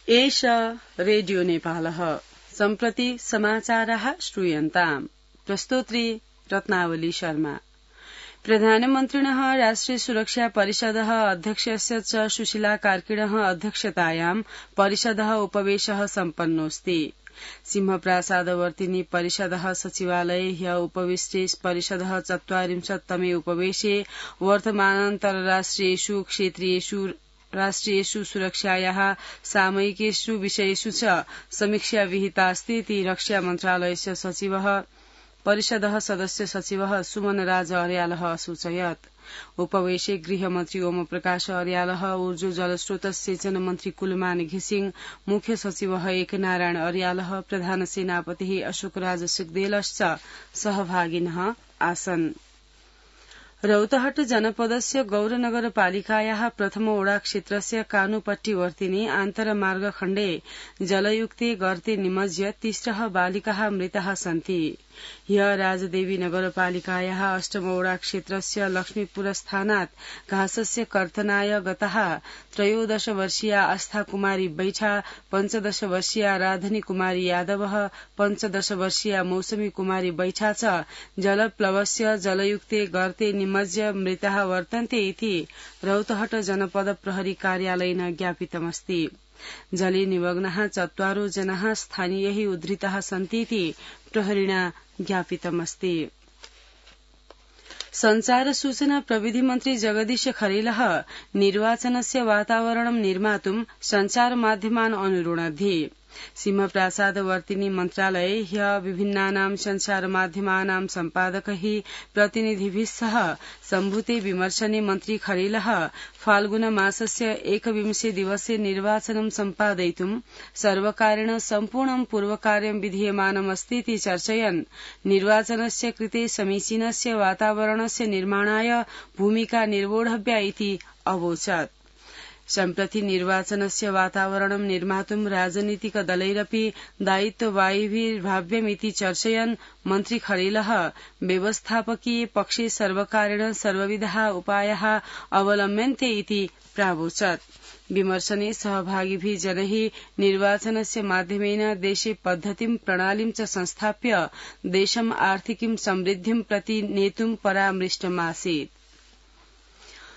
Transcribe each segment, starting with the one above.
एष रेडियो नेपालः सम्प्रति समाचाराः श्रूयन्ताम्। प्रस्तोत्री रत्नावली शर्मा। प्रधानमन्त्रिणः राष्ट्रिय सुरक्षा परिषदः अध्यक्षस्य च सुशीला कार्किणः अध्यक्षतायां परिषदः उपवेशः सम्पन्नोऽस्ति। सिंहप्रासादवर्तिनी परिषदः सचिवालये ह्य उपविष्टे परिषदः 40तमे उपवेशे वर्तमानान्तरराष्ट्रियेषु क्षेत्रीयेषु राष्ट्रियेषु सुरक्षायाः सामयिकेषु विषयेषु च समीक्षा विहितास्ति इति रक्षा मन्त्रालयस्य सचिवः परिषदः सदस्य सचिवः सुमन राज अर्यालः असूचयत्। उपवेशे गृहमन्त्री ओम प्रकाश अर्यालः, ऊर्जा जलस्रोत सिंचन मन्त्री कुलमान घिसिङ, मुख्य सचिवः एकनारायण अर्यालः, प्रधान सेनापतिः अशोकराज सिग्देलश्च सहभागिनः आसन्। रौतहट जनपदस्य गौरनगरपालिकायाः प्रथम ओडा क्षेत्रस्य कानुपट्टिवर्तिनी आन्तरमार्ग खण्डे जलयुक्ते गर्ते निमज्य 3 बालिकाः मृताः सन्ति। ह्य राजदेवी नगरपालिकायाः 8 ओडा क्षेत्रस्य लक्ष्मीपुर स्थानात् घासस्य कर्तनाय गताः 13 वर्षीया आस्था कुमारी बैठा, 15 वर्षीया राधनी कुमारी यादवः, 15 वर्षीया मौसमी कुमारी बैठा च जलप्लवस्य जलयुक्ते गर्ते निमज्य मृताः वर्तन्ते इति रौतहट जनपद प्रहरी कार्यालयेन ज्ञापितमस्ति। जले निमग्नाः 4 जनाः स्थानीयैः उद्धृताः सन्तीति प्रहरिणा ज्ञापितमस्ति। संचार सूचना प्रविधि मन्त्री जगदीश खरेलः निर्वाचनस्य वातावरणं निर्मातुं संचार माध्यमान् अनुरुणद्धि। सिंहप्रासादवर्तिनी मन्त्रालये ह्य विभिन्नानां संचार माध्यमानां सम्पादकैः प्रतिनिधिभिः सह सम्भूते विमर्शने मन्त्री खरेलः फाल्गुन मासस्य 21 दिवसे निर्वाचनं सम्पादयितुं सर्वकारेण सम्पूर्णं पूर्वकार्यं विधीयमानमस्ति इति चर्चयन् निर्वाचनस्य कृते समीचीनस्य वातावरणस्य निर्माणाय भूमिका निर्वोढव्या इति अवोचत्। सम्प्रति निर्वाचनस्य वातावरणं निर्मातुं राजनीतिक दलैरपि दायित्ववाहिभिर्भाव्यमिति चर्चयन् मन्त्री खरेलः व्यवस्थापकीय पक्षे सर्वकारेण सर्वविधाः उपायाः अवलम्ब्यन्ते इति प्रावोचत्। विमर्शने सहभागिभिः जनैः निर्वाचनस्य माध्यमेन देशे पद्धतिं प्रणालीं च संस्थाप्य देशम् आर्थिकीं समृद्धिं प्रति नेतुं परामृष्टमासीत्।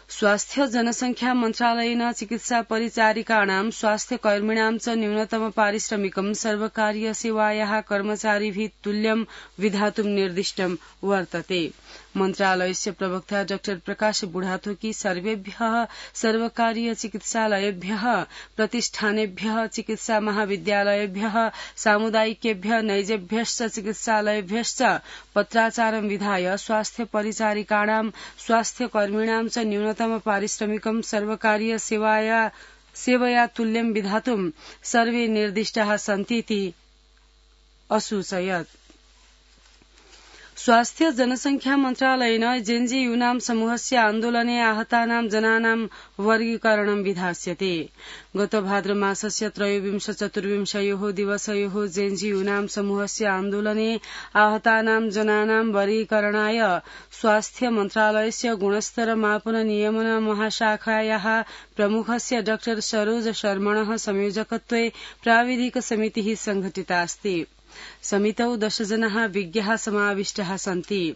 स्वास्थ्य जनसंख्या मन्त्रालयेन चिकित्सा परिचारिकाणां स्वास्थ्यकर्मिणां च न्यूनतम पारिश्रमिकं सर्वकारीय सेवायाः कर्मचारिभिः तुल्यं विधातुं निर्दिष्टं वर्तते। मन्त्रालयस्य प्रवक्ता डॉ प्रकाश बुढाथोकी सर्वेभ्यः सर्वकारीय चिकित्सालयेभ्यः, प्रतिष्ठानेभ्यः, चिकित्सा महाविद्यालयेभ्यः, सामुदायिकेभ्यः नैजेभ्यश्च चिकित्सालयेभ्यश्च पत्राचारं विधाय स्वास्थ्य परिचारिकाणां स्वास्थ्यकर्मिणां च न्यूनतम पारिश्रमिकं सर्वकारीय सेवया तुल्यं विधातुं सर्वे निर्दिष्टाः सन्तीति असूचयत्। स्वास्थ्य जनसंख्या मन्त्रालयेन जेएनयू समूहस्य आन्दोलने आहतानां जनानां वर्गीकरणं विधास्यते। गत भाद्रमासस्य 23-24 दिवसयोः जेएनयू समूहस्य आन्दोलने आहतानां जनानां वर्गीकरणाय स्वास्थ्य मन्त्रालयस्य गुणस्तर मापन नियमन महाशाखायाः प्रमुखस्य डॉ सरोज शर्मणः संयोजकत्वे प्राविधिक समितिः संघटितास्ति। समितौ 10 जनाः विज्ञाः समाविष्टाः सन्ति।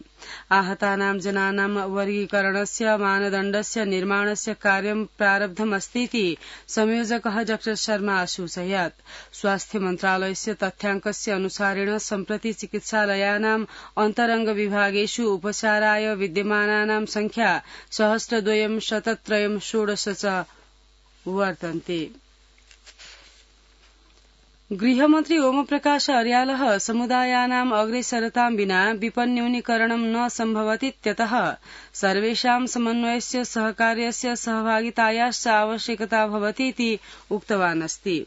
आहतानां जनानां वर्गीकरणस्य मानदण्डस्य निर्माणस्य कार्यं प्रारब्धमस्तीति संयोजकः डॉ शर्मा असूचयत्। स्वास्थ्य मन्त्रालयस्य तथ्याङ्कस्य अनुसारेण सम्प्रति चिकित्सालयानाम् अन्तरंग विभागेषु उपचाराय विद्यमानानां संख्या 1002-103-16 च वर्तन्ते। गृहमन्त्री ओम प्रकाश अर्यालः समुदायानाम् अग्रेसरतां विना विपन्यूनीकरणं न सम्भवतीत्यतः सर्वेषां समन्वयस्य सहकार्यस्य सहभागितायाश्च आवश्यकता भवतीति उक्तवान् अस्ति।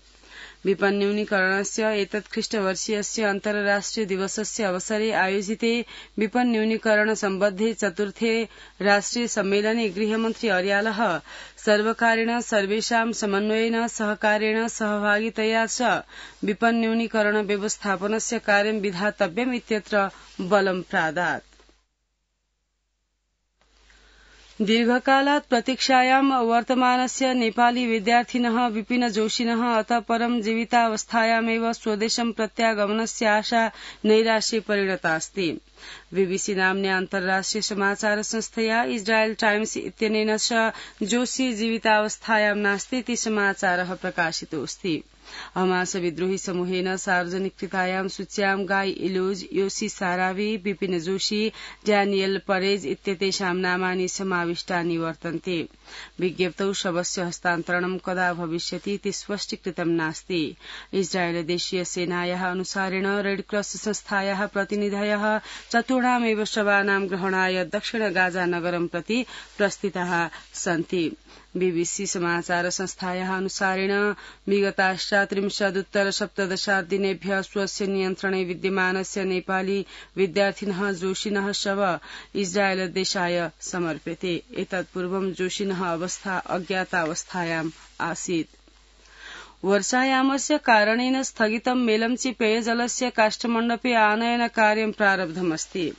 विपन्यूनीकरणस्य एतत् ख्रीष्टवर्षीयस्य अन्तर्राष्ट्रिय दिवसस्य अवसरे आयोजिते विपन्यूनीकरण सम्बद्धे 4थे राष्ट्रिय सम्मेलने गृहमन्त्री अर्यालः सर्वकारेण सर्वेषां समन्वयेन सहकारेण सहभागितया च विपन्यूनीकरण व्यवस्थापनस्य कार्यं विधातव्यम् इत्यत्र बलं प्रादात्। दीर्घकालात् प्रतीक्षायां वर्तमानस्य नेपाली विद्यार्थिनः विपिन जोशिनः अतः परं जीवितावस्थायामेव स्वदेशं प्रत्यागमनस्य आशा नैराश्ये परिणता अस्ति। बीबीसी नाम्न्या अन्ताराष्ट्रिय समाचार संस्थया इस्राएल टाइम्स इत्यनेन च जोशी जीवितावस्थायां नास्ति इति समाचारः प्रकाशितोऽस्ति। हमास विद्रोही समूहेन सार्वजनिकृतायां सूच्यां गाई इलोज, योशी सारावी, विपिन जोशी, डैनियल परेज इत्येतेषां नामानि समाविष्टानि वर्तन्ते। विज्ञप्तौ शवस्य हस्तान्तरणं कदा भविष्यति इति स्पष्टीकृतं नास्ति। इस्राएल देशीय सेनायाः अनुसारेण रेडक्रॉस संस्थायाः प्रतिनिधयः चतुर्णामेव शवानां ग्रहणाय दक्षिण गाजा नगरं प्रति प्रस्थिताः सन्ति। बीबीसी समाचार संस्थायाः अनुसारेण विगताष्टात्रिंशदुत्तर 17 दिनेभ्यः स्वस्य नियन्त्रणे विद्यमानस्य नेपाली विद्यार्थिनः जोशिनः शव इस्राएल देशाय समर्प्यते। एतत्पूर्वं जोशिनः अवस्था अज्ञातावस्थायाम् आसीत्। वर्षायामस्य कारणेन स्थगितं मेलम्ची पेयजलस्य काष्ठमण्डपे आनयन कार्यं प्रारब्धमस्ति।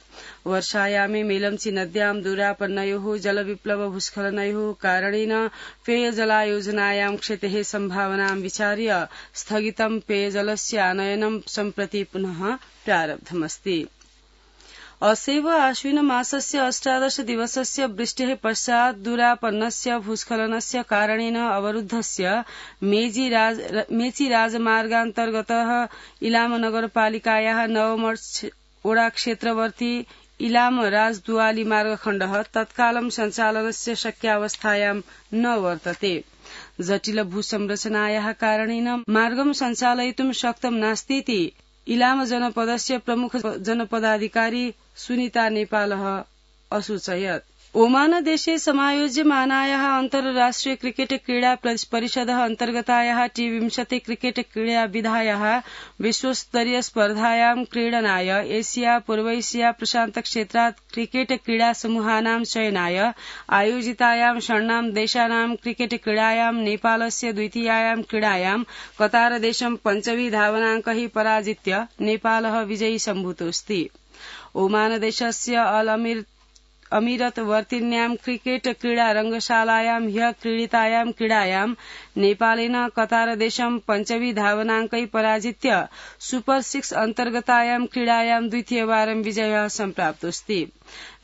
वर्षायामे मेलम्ची नद्यां दुरापन्नयोः जलविप्लव भूस्खलनयोः कारणेन पेयजलायोजनायां क्षतेः सम्भावनां विचार्य स्थगितं पेयजलस्य आनयनं सम्प्रति पुनः प्रारब्धमस्ति। असैव आश्विन मासस्य 18 दिवसस्य वृष्टेः पश्चात् दुरापन्नस्य भूस्खलनस्य कारणेन अवरुद्धस्य मेची राजमार्गान्तर्गतः इलाम नगरपालिकायाः नवमर्च ओडाक्षेत्रवर्ती इलाम राजदुआली मार्गखण्डः तत्कालं सञ्चालनस्य शक्यावस्थायां न वर्तते। जटिल भूसंरचनायाः कारणेन मार्गं सञ्चालयितुं शक्तं नास्तीति इलाम जनपदस्य प्रमुख जनपदाधिकारी सुनीता नेपालः असूचयत्। ओमान देशे समायोज्यमानायाः अन्ताराष्ट्रिय क्रिकेट क्रीडा परिषदः अन्तर्गतायाः T20 क्रिकेट क्रीडाविधायाः विश्वस्तरीय स्पर्धायां क्रीडनाय एशिया पूर्व एशिया प्रशान्त क्षेत्रात् क्रिकेट क्रीडा समूहानां चयनाय आयोजितायां षण्णां देशानां क्रिकेट क्रीडायां नेपालस्य द्वितीयायां क्रीडायां कतारदेशं 5 धावनाङ्कैः पराजित्य नेपालः विजयी सम्भूतोऽस्ति। ओमान देशस्य अमीरत वर्तिन्यां क्रिकेट क्रीडा रंगशालायां ह्यः क्रीडितायां क्रीडायां नेपालेन कतारदेशं 5 धावनाङ्कैः पराजित्य सुपर 6 अन्तर्गतायां क्रीडायां द्वितीयवारं विजयः सम्प्राप्तोऽस्ति।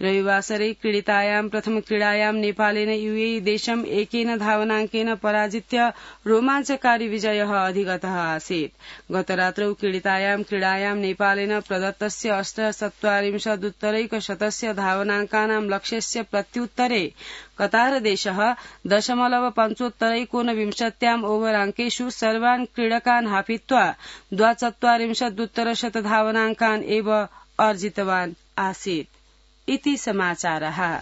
रविवासरे क्रीडितायां प्रथम क्रीडायां नेपालेन यूएई देशं 1 धावनाङ्केन पराजित्य रोमाञ्चकारी विजयः अधिगतः आसीत्। गतरात्रौ क्रीडितायां क्रीडायां नेपालेन प्रदत्तस्य 48 धावनाङ्कानां लक्ष्यस्य प्रत्युत्तरे कतारदेशः 0.75 ओवर अङ्केषु सर्वान् क्रीडकान् हापित्वा 42 धावनाङ्कान् एव अर्जितवान् आसीत्। इति समाचारः।